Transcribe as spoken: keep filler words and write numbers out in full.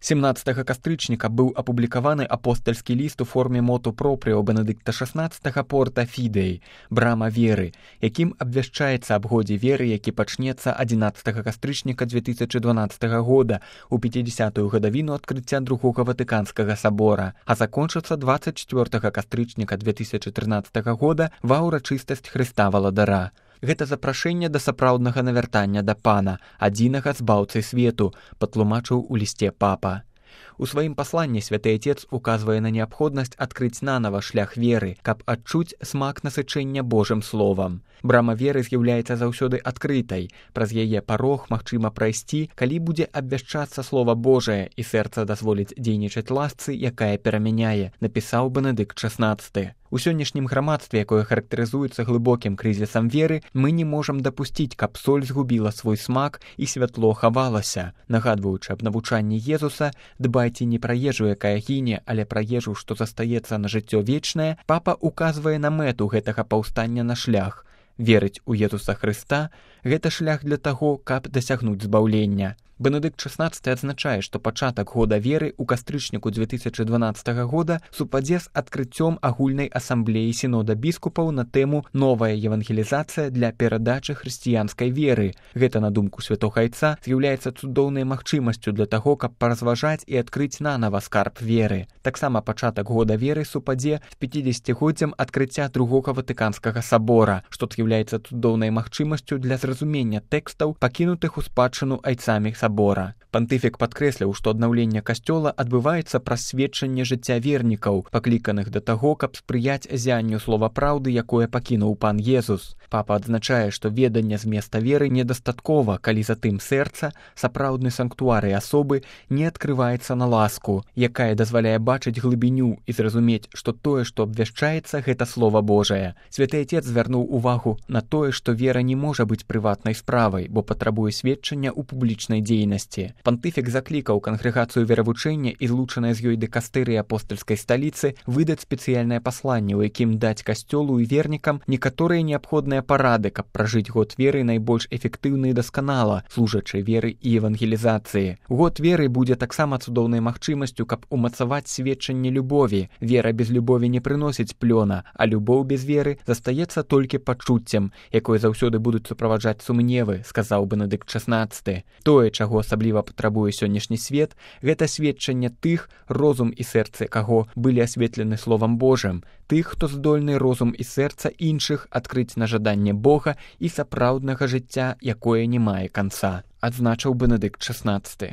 семнаццатага кастрычніка быў апублікаваны апостальскі ліст у форме моту пропріо Бенедыкта шаснаццатага порта Фідэй, брама веры, якім абвяшчаецца аб годзе веры, які пачнецца адзінаццатага кастрычніка дзве тысячы дванаццатага года у пяцідзясятую гадавіну адкрыцця другога Ватыканскага сабора, а закончыцца дваццаць чвёртага кастрычніка дзве тысячы трынаццатага года ва ўрачыстасць Хрыста Валадара. Гэта запрашэнне да сапраўднага навяртання да Пана, адзінага збаўцы свету, патлумачыў у лісце папа. У сваім пасланні святы Отец указвае на неабходнасць адкрыць нанава шлях веры, каб адчуць смак насычэння Божым словам. Брама веры з'яўляецца заўсёды адкрытай. Праз яе парог магчыма прайсці, калі будзе абвяшчацца Слова Божае і сэрца дазволіць дзейнічаць ласцы, якая перамяняе, напісаў Бенедыкт шаснаццаты. У сённяшнім грамадстве, якое характарызуецца глыбокім крызісам веры, мы не можам дапусціць, каб соль згубіла свой смак і святло хавалася. Нагадваючы аб навучанні Езуса, дбайце не пра ежу, якая гіне, але пра ежу, што застаецца на жыццё вечнае, папа указвае на мэту гэтага паўстання на шлях. Верыць у Езуса Хрыста – гэта шлях для таго, каб дасягнуць збаўлення. Бенедыкт шаснаццаты адзначае, што пачатак года веры ў кастрычніку дзве тысячы дванаццатага года супадзе з адкрыццём агульнай асамблеі сінода біскупаў на тэму «Новая евангелізацыя для перадачы хрысціянскай веры». Гэта, на думку святога Айца, з'яўляецца цудоўнай магчымасцю для таго, каб паразважаць і адкрыць нанава скарб веры. Таксама пачатак года веры супадзе з пяцідзесяцігоддзям адкрыцця другога Ватыканскага сабора, што з'яўляецца цудоўнай магчымасцю для зразумення тэкстаў, пакінутых у спадчыну айцамі сабора. Пантыфік падкрэсліў, што аднаўленне касцёла адбываецца праз сведчанне жыцця вернікаў, пакліканых да таго, каб спрыяць зянню слова праўды, якое пакінуў пан Езус. Папа адзначае, што веданне зместа веры недастаткова, калі затым сэрца, сапраўдны санктуар і асобы, не адкрываецца на ласку, якая дазваляе бачыць глыбіню і зразумець, што тое, што абвяшчаецца, гэта Слова Божае. Святы Отец звярнуў увагу на тое, што вера не можа быць прыватнай справай, бо патрабуе сведчання ў публічнай дзейнасці. Пантыфік заклікаў кангрэгацыю веравучэння і злучанай з ёй дыкастэрыі апостальскай сталіцы выдаць спецыяльнае пасланне, у якім даць касцёлу і вернікам некаторыя неабходныя парады, каб пражыць год веры найбольш эфектыўна і дасканала, служачай веры і евангелізацыі. Год веры будзе таксама цудоўнай магчымасцю, каб умацаваць сведчанне любові. Вера без любові не прыносіць плёна, а любоў без веры застаецца толькі пачуццем, якое заўсёды будуць суправаджаць сумневы, сказаў Бенедыкт шаснаццаты. Тое, чаго асабліва патрабуе сённяшні свет, гэта сведчанне тых, розум і сэрцы каго былі асветлены Словам Божым, тых, хто здольны розум і сэрца іншых адкрыць на жаданне Бога і сапраўднага жыцця, якое не мае канца, адзначыў Бенедыкт шаснаццаты.